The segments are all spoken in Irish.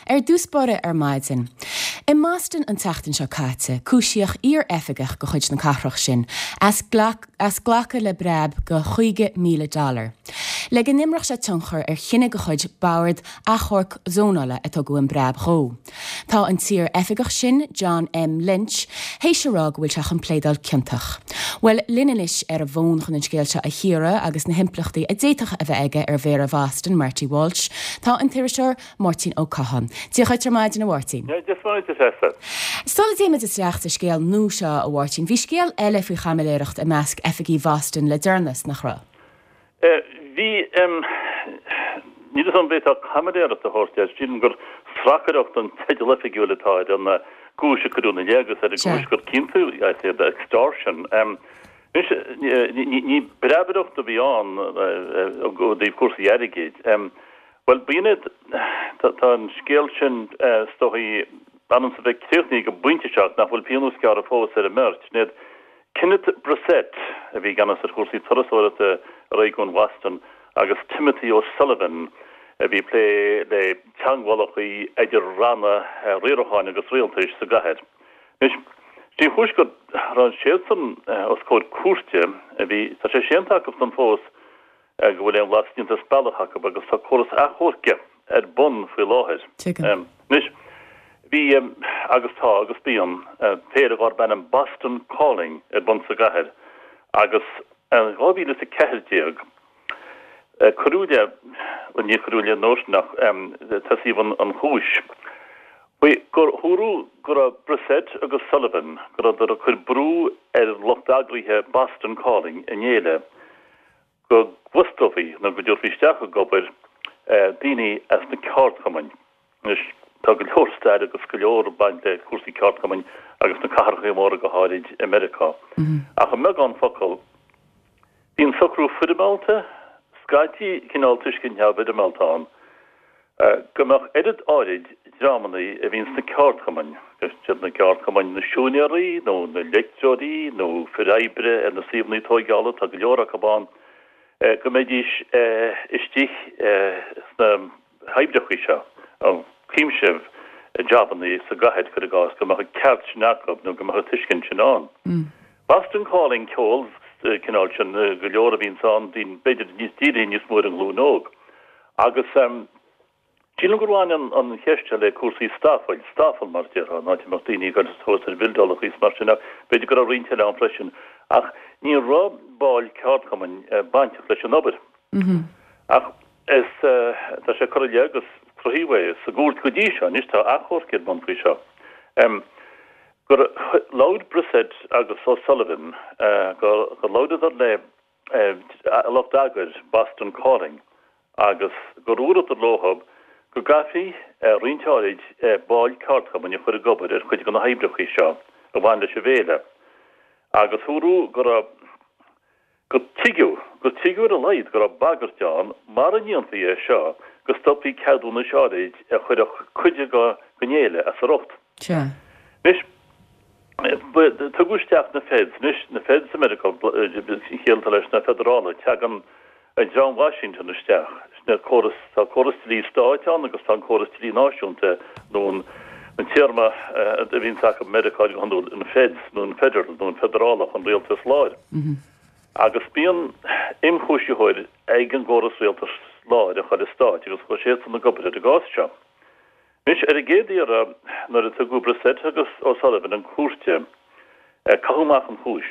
Ar dtús báire ar maidin. I mBoston an tseachtain seo caite, cúisíodh iar-oifigeach de chuid na cathrach sin as as glacadh le breab de 50,000 dollar le go n-imreodh sé tionchar ar chinneadh de chuid Bord Achomhairc Zónála a tugadh an breab dhó. Tá an t-iar-oifigeach sin, John M. Lynch, théis a rá go bhfuil sé chun pléadáil ciontach. Bhuel, linn anois ar an bhfón chun an scéal seo a chíoradh agus na himpleachtaí a d'fhéadfadh a bheith aige ar Mhéara Bhoston, Marty Walsh, tá an t-iriseoir Máirtín Ó Catháin. Dia dhuit ar maidin, a Mháirtín. Dia 's Muire duit, a Threasa. Sula dtéimid isteach sa scéal nua seo, a Mháirtín, bhí scéal eile faoi chaimiléireacht i measc oifigigh Bhoston le deireanas, nach raibh? Bhí. Níl 'fhios a'm an bhféadfá caimiléireacht a thabhairt air. Sílim gur sracaireacht an teideal oifigiúil atá ar an gcúis a cuireadh ina leith agus ar an gcúis gur ciontaíodh iad, extortion. Anois, ní breabaireacht a bhí ann ó thaobh cúrsaí airgid. Bhuel, b'in iad. Tá an scéal sin, is dóigh, ann is a bheith críochnaithe ag an bpointe seo ach nach bhfuil pionós gearrtha fós ar an mbeirt. Sin iad Kenneth Brissett, a bhí i gceannas ar chúrsaí turasóireachta i réigiún Bhoston, agus Timothy O'Sullivan, a bhí ag plé le teagmhálacha idir ranna riaracháin agus rialtais sa gcathair. Anois, sé an chúis go raibh siadsan os comhair cúirte, a bhí, tá sé séanta acusan fós go bhfuil aon bhlas déanta as bealach acu agus tá córas achomhairc ar bun faoi láthair. Tuigim. Anois, bhí, agus tá, agus bíonn, féile darb ainm Boston Calling ar bun sa gcathair agus in 2014 cuireadh i leith, bhuel níor cuireadh i leith an uair sin ach tosaíodh an chúis faoi gur dúradh go raibh Brissett agus Sullivan, go rabhadar ag cur brú ar lucht eagraithe Boston Calling, an fhéile, go bhfostófaí nó go dtabharfaí isteach ag obair daoine as na ceardchumainn. Anois, tá go leor staire agus go leor ag baint le cúrsaí ceardchumainn agus na cathracha móra go háirid i Meiriceá. Ach i mbeagán focal, bíonn socrú foirmeálta, scaití cineál tuiscint neamhfhoirmeálta ann, go mbeadh oiread áirid dreamanna a bhíonn sna ceardchumainn, siad na ceardchumainn na siúinéirí nó na leictreoirí nó fir oibre ar na suíomhanna tóigeála, tá go leor acu ann, go mbeidís istigh sna hoibreacha seo, cuimse jabanna sa gcathair, cuir i gcás, go mbeadh an ceart sin acu nó go mbeadh an tuiscint sin ann. Boston Calling ceol cineál sin, go leor a bhíonns ann, daoine b'fhéidir níos dírithe níos mó ar an nglúin óg. Agus sílim gur bhain an cheist seo le cúrsaí stafáil, stafáil mar a déarfá, an áit a mbeadh daoine ag dul suas ar bhildeálacha is mar sin ach b'fhéidir go raibh roinnt eile ann freisin. Ach ní raibh baill ceardchumainn bainteach leis an obair. Ach is, tá sé curtha i leith agus cruthaíodh é sa gcúirt go dtí seo, anois tá achomharc ar bun faoi seo, gur labhair Brissett agus O'Sullivan, gur labhradar le lucht eagair Boston Calling agus gur dhúradar leothab go gcaithfí roinnt áirid baill ceardchumainn a chur ag obair ar chuid de na hoibreacha seo a bhain leis an bhféile agus dúradh go raibh gur tuigeadh, gur tuigeadh ar a laghad go raibh bagairt ann mara ndéanfaí é seo go stopfaí ceadúnais áirid a chuirfeadh cuid den fhéile as a riocht. Sea. Anois, tugadh isteach na Feds, anois, na Feds i Meiriceá, an chiall atá leis ná feidearálaithe, tagann an dream Washington isteach, sin é córas, tá córas dlí stáit ann agus tá an córas dlí náisiúnta nó an téarma a bhíonns acu i Meiriceá go hiondúil, an Feds nó an Federal nó an feidearálach, an rialtas láir. Agus bíonn imchúisitheoir ag an gcóras rialtais láir an chuile stáit agus chuaigh siadsan ag obair ar an gcás seo. Anois, ar an gcéad iarraidh, nuair a tugadh Brissett agus O'Sullivan chun cúirte, caitheadh amach an chúis.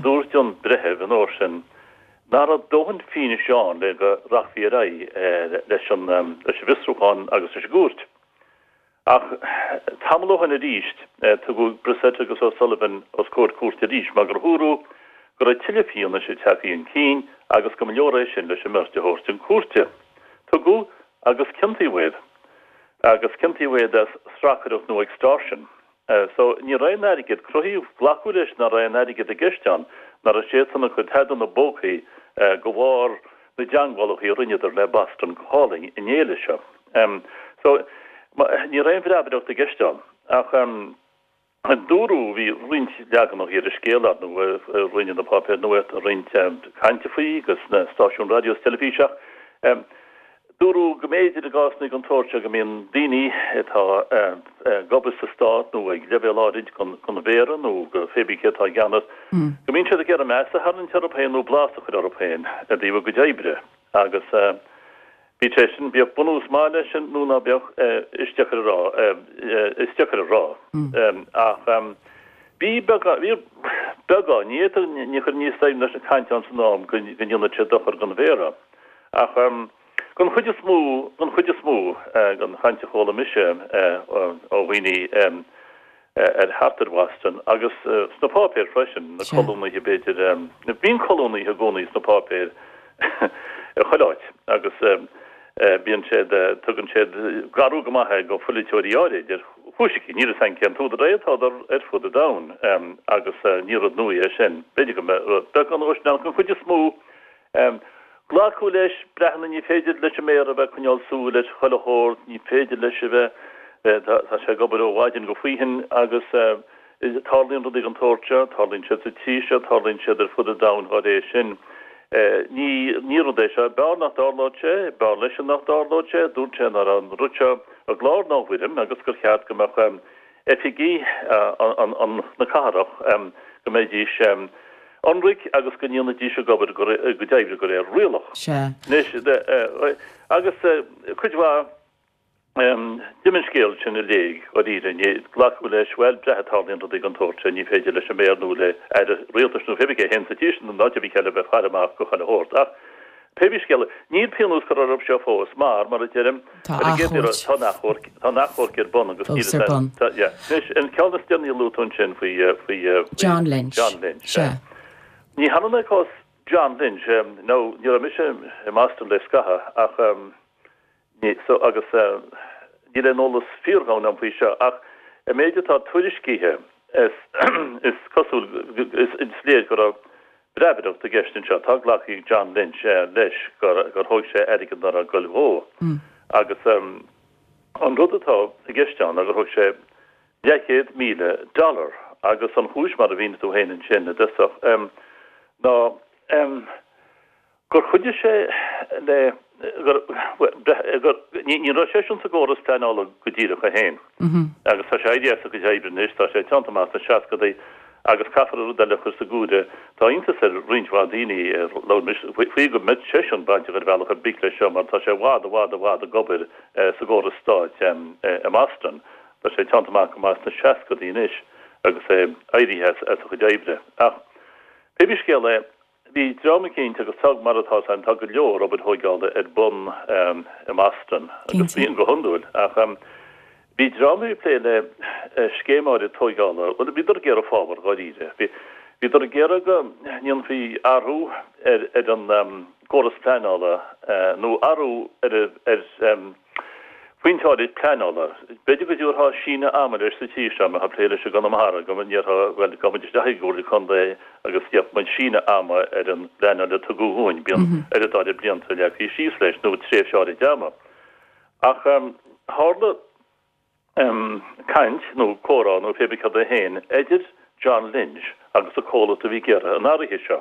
Dúirt an breitheamh an uair sin nach raibh dóthain fianaise ann le go rachfaí ar aghaidh leis an bhfiosrúchán agus leis an gcúirt. Ach tamall ó shin arís, tugadh Brissett agus O'Sullivan os comhair cúirte arís mar gur dúradh go raibh tuilleadh fianaise tagtha chun cinn agus go mba leor é sin leis an mbeirt a thabhairt chun cúirte. Tugadh agus ciontaíodh iad. Agus ciontaíodh iad as sracaireacht nó extortion. So, ní raibh aon airgead, cruthaíodh, glacadh leis nach raibh aon airgead i gceist ann, nach raibh siadsan ag cur tada ina bpócaí de bharr na dteangmhálacha a rinneadar le Boston Calling an fhéile seo. So, ní raibh aon bhreabaireacht i gceist ann. Ach. Dúradh, bhí roinnt leaganacha ar an scéal, ar ndóigh, rinne na páipéir nuachta roinnt cainte faoi agus na stáisiúin raidió is teilifíse ach. Dúradh go mb'fhéidir i gcásanna den tsórt seo go mbíonn daoine atá ag obair sa stát nó ag leibhéal áirid den mhéara nó de pé bí cé atá i gceannas, go mbíonn siad ag iarraidh meas a tharraingt orthu féin nó blas a chur orthu féin i dtaobh a gcuid oibre agus bhí sé sin, bíodh bunús maith leis sin nó ná beadh, is deacair a rá, is deacair a rá. Ach bhí beagán, bhí beagán, ní fhéadfainn, ní chuirfinn níos doimhne leis an chaint ann san am go ndéanfadh sé dochar don mhéara. Ach den chuid is mó, den chuid is mó den chaint a chuala mise ó dhaoine ar thart ar Bhoston agus sna páipéir freisin, na colúnaithe b'fhéidir, bíonn colúnaithe i gcónaí sna páipéir i chuile áit agus bíonn siad, tugann siad garú go maith é do pholaiteoirí áirid ar chúis eicínt, níl a fhios agam cén t-údar é, tádar ar fud an domhain agus ní rud nua é sin. B'fhéidir go mbeadh beagán dhó sin ann, den chuid is mó Glacadh leis, breathnaigh, ní féidir leis an méara a bheith ag coinneáil súil ar chuile shórt, ní féidir leis a bheith, tá sé ag obair ó mhaidin go faoithin agus tarlaíonn rudaí den tsórt seo, tarlaíonn siad sa tír seo, tarlaíonn siad ar fud an domhain dá réir sin. Ní, ní rud é seo, b'fhearr nach dtarlódh sé, b'fhearr leisean nach dtarlódh sé, dúirt sé ná raibh an rud seo i gclár ná i bhfoirm agus gur cheart go mbeadh oifigí na cathrach go mbeidís ionraic agus go ndéanfaidís a gcuid oibre de réir rialach. Sea. Anois, agus cuid mhaith, d'imigh an scéal sin i léig, dháiríre, ní, glacadh leis, bhuel, breathnaigh, tarlaíonn rudaí den tsórt sin, ní féidir leis an méara nó le aire rialtais nó pé bí cé a théann sa tír sin nó áit ar bith eile a bheith ag faire amach do chuile shórt. Ach pé bí scéal é, níl pionós curtha orthu seo fós mar, mar a deirim, Tá achomharc. Tá an achomharc, tá an achomharc ar bun agus Fós ar bun. Tá, yeah. Anois, an ceann is deireanaí a luaigh tú ansin faoi, faoi, faoi John Lynch. John Lynch, Sea. Ní hionann é cás John Lynch, nó ní raibh mise i mBoston le scaitheamh ach ní, so, agus níl aon eolas fíordhomhain agam faoi seo ach an méid atá tuairiscithe is, is cosúil, is, is léir go raibh Breabaireacht i gceist anseo. Tá glactha ag John Lynch leis gur thóg sé airgead nach raibh ag goil dhó. Agus an rud atá i gceist ann ná gur thóg sé leathchéad míle dollar agus an chúis, mar a mhínigh tú féin ansin i dtosach, ná gur chuidigh sé le, gur, gur, ní raibh seisean sa gcóras pleanála go díreach é féin agus tá sé éirithe as a chuid oibre anois, tá sé teannta amach sna seascadaí agus caithfear rud eile a chur sa gcomhaireamh, tá iontas ar roinnt mhaith daoine ar labhair mise faoi go mbeadh seisean bainteach ar bhealach ar bith leis seo mar tá sé i bhfad, i bhfad, i bhfad ag obair sa gcóras stáit i mBoston, tá sé teannta amach go maith sna seascadaí anois agus é éirithe as a chuid oibre. Ach pé bí scéal é, Bhí dream eicínt, agus tá, mar atá a fhios againn, tá go leor obair thóigeála ar bun i mBoston, agus bíonn go hiondúil, ach bhí dream a bhí ag plé le scéim áirid tóigeála, bhuel, bhíodar ag iarraidh fábhar, dháiríre. Bhí, bhíodar ag iarraidh go ndéanfaí athrú ar, ar an gcóras pleanála, nó athrú ar, ar, Pointe áirid pleanála. B'fhéidir go dtabharfá síneadh ama leis sa tír seo, mbeifeá ag plé leis i gConamara, go ndéarfá, bhuel, gabhfaidh muid isteach i gComhairle Contae agus gheobhaidh muid síneadh ama ar an bpleanáil a tugadh dhúinn. Bíonn oiread áirid blianta leagtha síos leis, nó tréimhse áirid ama. Ach tharla caint, nó comhrá, nó pé bí cad é féin, idir John Lynch agus an comhlacht a bhí ag iarraidh an athraithe seo.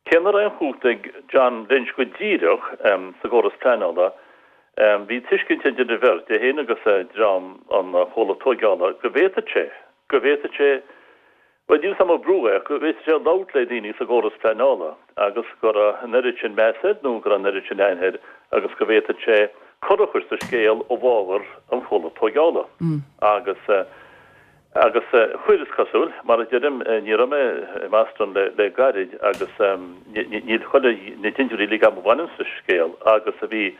Cé nach raibh aon chumhacht ag John Lynch go díreach sa gcóras pleanála, bhí tuiscint idir an bheirt, é féin agus dream an chomhlacht tóigeála, go bhféadfadh sé, go bhféadfadh sé, bhuel, níl 'fhios a'm an brú é, ach go bhféadfadh sé labhairt le daoine sa gcóras pleanála agus go raibh an oiread sin meas air nó go raibh an oiread sin aithne air agus go bhféadfadh sé cor a chur sa scéal i bhfabhar an chomhlacht tóigeála. Agus. Agus chuir, is cosúil. Mar a deirim, ní raibh mé i mBoston le gairid agus níl chuile, na dintiúirí uilig agam a bhaineann sa scéal agus a bhí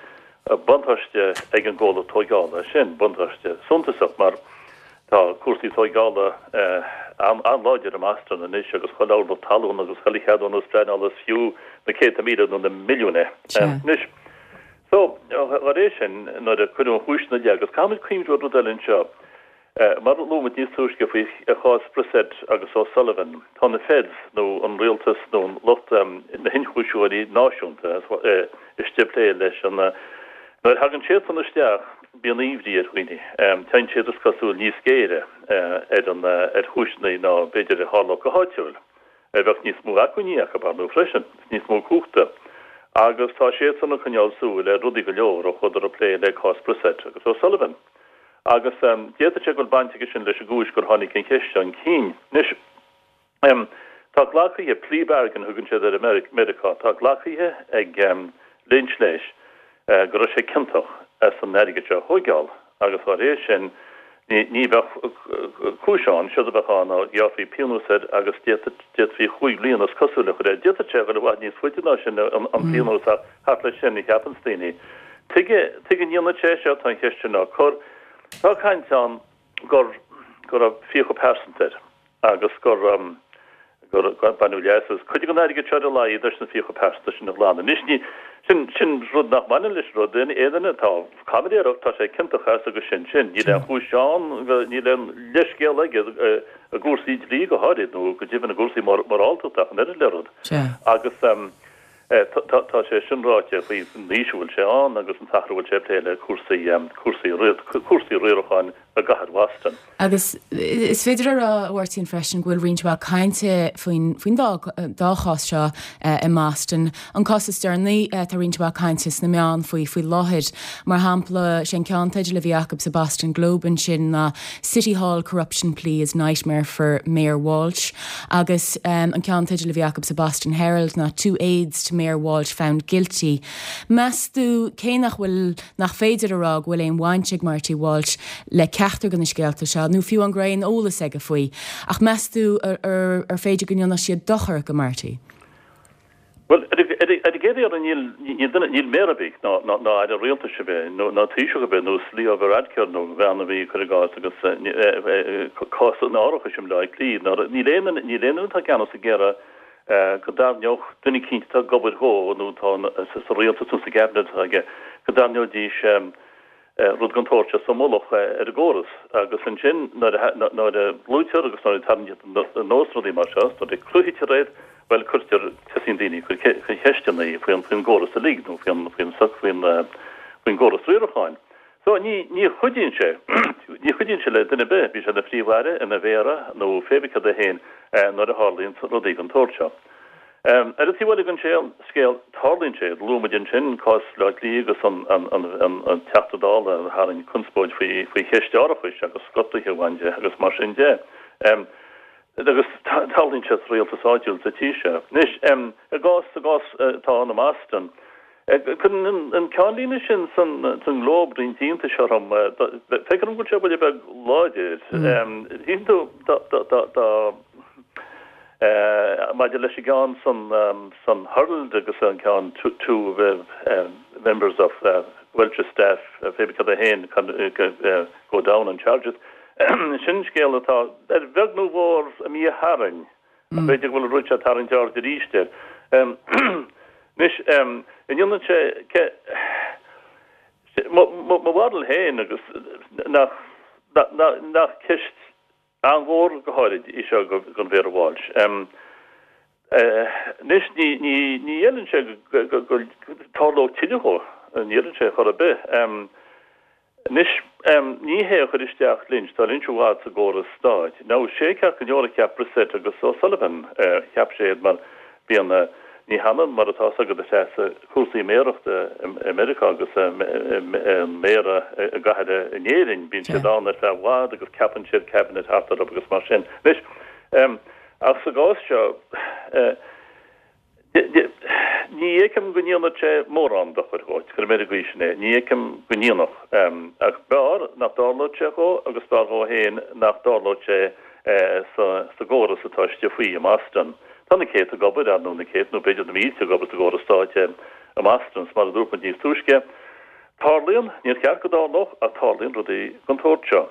buntáiste ag an gcomhlacht tóigeála sin, buntáiste suntasach mar tá cúrsaí tóigeála an-láidir i mBoston anois agus chuile orlach talún agus chuile cheadúnas pleanála is fiú na céadta míle nó na milliúin é. Anois, so, dá réir sin, nuair a cuireadh an chúis ina leith, agus caithfimid cuimhniú ar rud eile anseo, Mar a luaigh muid níos túisce faoi chás Brissett agus O'Sullivan, tá na Feds, nó an rialtas, nó an lucht na hionchúisitheoirí náisiúnta istigh ag plé leis an. Nuair a thagann siadsan isteach, bíonn aoibhrí ar dhaoine. Téann siad, is cosúil, níos géire ar an ar chúiseanna ná b'fhéidir a tharlódh go háitiúil. Bheadh níos mó acmhainní acu, ar ndóigh, freisin, is níos mó cumhachta. Agus tá siadsan ag coinneáil súil ar rudaí go leor ó chuadar ag plé le cás Brissett agus O'Sullivan. Agus d'fhéadfadh sé go bhfuil baint aige sin leis an gcúis gur tháinig an cheist chun cinn. Anois, tá glactha, plea bargain a thugann siad air i Meiriceá, tá glactha ag Lynch leis go raibh sé ciontach as an airgead seo a thóigeáil agus dá réir sin ní bheadh cúis ann, séard a bheadh ann ná ghearrfaí pionós air agus d'fhéadfaí chúig bhliana is cosúil a chur air. D'fhéadfadh sé a dhul i bhfad níos faide ná sin an pionós ach thart leis sin a cheapanns daoine. Tuige, tuige a ndéanfadh sé seo, tá an cheist sin á cur. Tá caint ann gur, go raibh fiacha pearsanta air. agus gur gur baineadh leas as cuid den airgead seo ar a laghad leis na fiacha pearsanta sin a ghlanadh. Anois ní, sin, sin rud nach mbaineann leis an rud, aon duine atá caimiléireacht, tá sé ciontach as agus sin sin. Níl aon chúis ann, níl aon leithscéal aige i gcúrsaí dlí go háirid nó go deimhin i gcúrsaí moráltachta ach an oiread le rud. Agus tá sé sin ráite faoin aois a bhfuil sé ann agus an t-athrú a bhfuil sé ag plé le cúrsaí, cúrsaí, cúrsaí riaracháin i gcathair Bhoston. Agus is féidir a rá, a Mháirtín, freisin go bhfuil roinnt mhaith cainte faoin, faoin dá, dá chás seo i mBoston. An cás is deireanaí, tá roinnt mhaith cainte sna meáin faoi faoi láthair. Mar shampla, sé an ceannteideal a bhí acu sa Boston Globe ansin ná City Hall Corruption Plea is Nightmare for Mayor Walsh agus an ceannteideal a bhí acu sa Boston Herald ná Two Aides to Mayor Walsh Found Guilty. Meas tú cé nach bhfuil nach féidir a rá go bhfuil aon bhaint ag Marty Walsh le ceachtar de na scéalta seo, nó fiú an go raibh aon eolas aige faoi. Ach meas tú ar féidir go ndéanfadh siad dochar go Marty? Bhuel, ar an gcéad iarraidh, níl, níl duine, níl méara ar bith, ná, ná, ná aire rialtais ar bith, nó, ná taoiseach ar bith, nós Leo Varadkar nó an bhean a bhí, cuir i gcás, agus cás an árachais i mBleá Cliath, ná, níl aon duine, níl aon duine atá i gceannas ag iarraidh go dtarraingeodh duine eicínt atá ag obair dhó nó atá sa rialtas nó sa gcabinet atá aige, go dtarraingeoidís rud den tsórt seo sa mullach ar an gcóras. Agus ansin nuair a nuair a luaitear agus nuair a tarraingítear anuas rudaí mar seo, nuair a cruthaítear iad, bhuel cuirtear, tosaíonn daoine ag cur ceisteanna faoin faoin gcóras uilig nó faoin faoin faoin faoin gcóras riaracháin. So ní ní chuidíonn sé, ní chuidíonn sé le duine ar bith, bíodh sé ina phríomh-aire, ina mhéara nó pé bith céard é féin nuair a tharlaíonn rudaí den tsórt seo. Ar an taobh eile den scéal, tarlaíonn sé, luaigh muid ansin cás Bhaile Átha Cliath agus an an an an Teachta Dála a tharraing conspóid faoi faoi cheist árachais agus gortuithe a bhain de agus mar sin de. Agus tarlaíonn sé sa rialtas áitiúil sa tír seo. Anois, i gcás, sa gcás atá ann i mBoston, Cuireann an ceannlíne sin san nGlobe roinnt iontais orm. Feictear dom go bhfuil sé buille beag láidir. Shíl tú dá maidir leis an gceann san Herald agus an ceann two members of Walsh's staff pé bith céard é féin go down on charges. Sin scéal atá ar bheag nó mhór imithe tharainn. B'fhéidir go bhfuil an rud seo ag tarraingt aird arís air. Anois, an ndéanann sé, mo bharúil féin agus nach, nach ceist an-mhór go háirid í seo don Mhéara Walsh. Anois, ní, ní, ní fheileann sé go, go dtarlódh tuilleadh dhó, ní fheileann sé chor ar bith. Anois, ní hé a chuir isteach Lynch, tá Lynch i bhfad sa gcóras stáit. Now, sé ceart go leor a cheap Brissett agus O'Sullivan, cheap sé iad mar bíonn, ní hionann mar atá 's agat a Threasa, cúrsaí méarachta i Meiriceá agus an méara i gcathair in Éirinn, bíonn siad ann ar feadh i bhfad agus ceapann siad cabinet thart orthu agus mar sin. Anois, ach sa gcás seo, Ní fheicim go ndéanfadh sé mórán dochair dhó, cuirfidh mé ar an gcaoi sin é, ní fheicim go ndéanfadh. Ach b'fhearr nach dtarlódh sé dhó agus b'fhearr dhó féin nach dtarlódh sé sa gcóras atá istigh faoi i mBoston. Tá na céadta ag obair, ar ndóigh, na céadta nó b'fhéidir na mílte ag obair sa gcóras stáit i mBoston, is mar a dúirt muid níos túisce, tarlaíonn, níor cheart go dtarlódh, ach tarlaíonn rudaí den tsórt seo.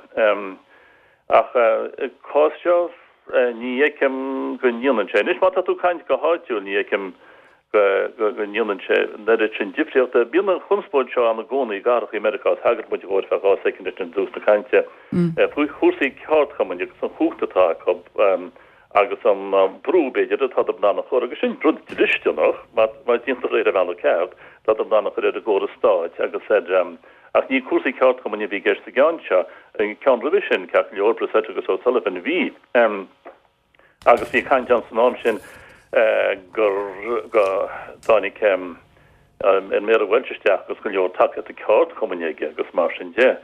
Ach i gcás seo, ní fheicim go ndéanann sé. Anois, má tá tú ag caint go háitiúil, ní fheicim go ndéanann sé an oiread sin difríochta. Bíonn an chonspóid seo ann i gcónaí i gcathracha i Meiriceá, thagair muid dhó ar feadh 2 soicind i dtús na cainte, faoi chúrsaí ceardchumainn agus an chumhacht atá acu agus an brú, b'fhéidir, atá in ann a chur, agus sin rud dlisteanach, má déantar é ar an bhealach ceart, atá in ann a chur ar an gcóras stáit agus ar Ach ní cúrsaí ceardchumainn a bhí i gceist sa gceann seo. An ceann roimhe sin, ceart go leor, Brissett agus O'Sullivan, bhí. Agus bhí caint ann san am sin gur, go dtáinig. An Méara Walsh isteach agus go leor tacaíochta ceardchumainn aige agus mar sin de.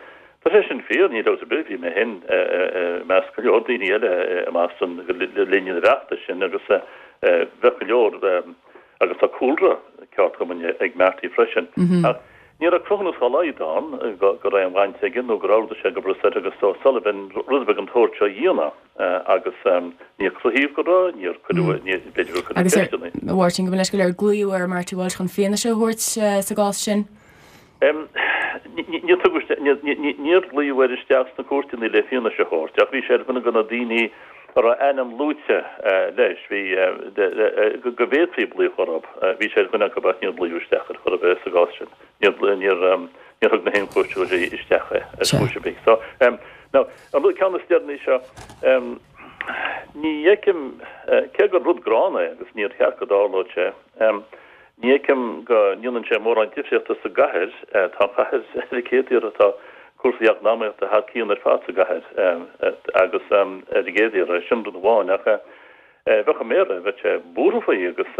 Tá sé sin fíor, níl dabht ar bith, bhí mé féin i measc go leor daoine eile i mBoston le linn an fheachtais sin agus bheadh go leor, agus tá cúlra ceardchumainn ag Marty freisin. Ach ní raibh cruthúnas dá laghad ann go raibh aon bhaint aige nó gur ordaigh sé go Brossetto agus O'Sullivan rud ar bith den tsórt seo a dhéanamh. agus níor cruthaíodh go raibh, níor cuireadh, níor, b'fhéidir gur cuireadh Agus ar, ceisteanna. a Mháirtín, gabh mo leithscéal, ar glaodh ar Marty Walsh chun fianaise a thabhairt sa gcás sin? Níor tugadh isteach, níor, níor glaodh air isteach sna cúirteanna le fianaise a thabhairt ach bhí sé ar dhuine de na daoine a raibh a ainm luaite leis, bhí, go bhféadfaí glaoch orthu, bhí sé ar dhuine acu ach níor glaodh isteach air chor ar bith sa gcás sin. Níor, níor, níor thug na hionchúisitheoirí isteach é ar chúis ar bith. So, now, An rud ceann is deireanaí seo, ní fheicim, cé gur rud gránna é agus níor cheart go dtarlódh sé, ní fheicim go ndéanann sé mórán difríochta sa gcathair. Tá an chathair ar an gcéad iarraidh, tá cúrsaí eacnamaíochta thar cionn ar fad sa gcathair agus ar an gcéad iarraidh, sin rud amháin ach bheadh an Méara, bheadh sé buartha faoi agus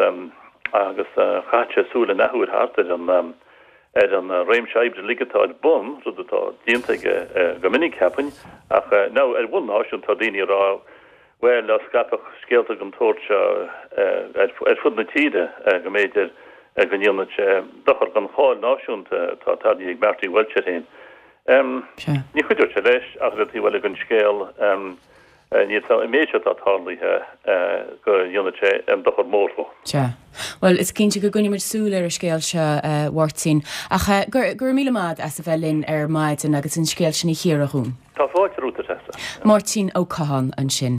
agus chaithfeadh sé súil an athuair thart ar an ar an réimse oibre uilig atá ar bun, rud atá déanta aige go minic, cheapfainn, ach now ar bhonn náisiúnta tá daoine ag rá, bhuel, dá scaipfeadh scéalta den tsórt seo ar fud na tíre, go mb'fhéidir go ndéanfadh sé dochar don cháil náisiúnta atá tarraingthe ag Marty Walsh air féin. Ní chuideodh sé leis, ach ar an taobh eile den scéal, Níl an méid seo atá tarlaithe go ndéanfadh sé aon dochar mór dó. Sea. Bhuel, is cinnte go gcoinneoidh muid súil ar an scéal seo, a Mháirtín. Ach go raibh míle maith agat as a bheith linn ar maidin agus an scéal sin a chíoradh dhúinn. Tá fáilte romhat, a Threasa. Máirtín Ó Catháin ansin.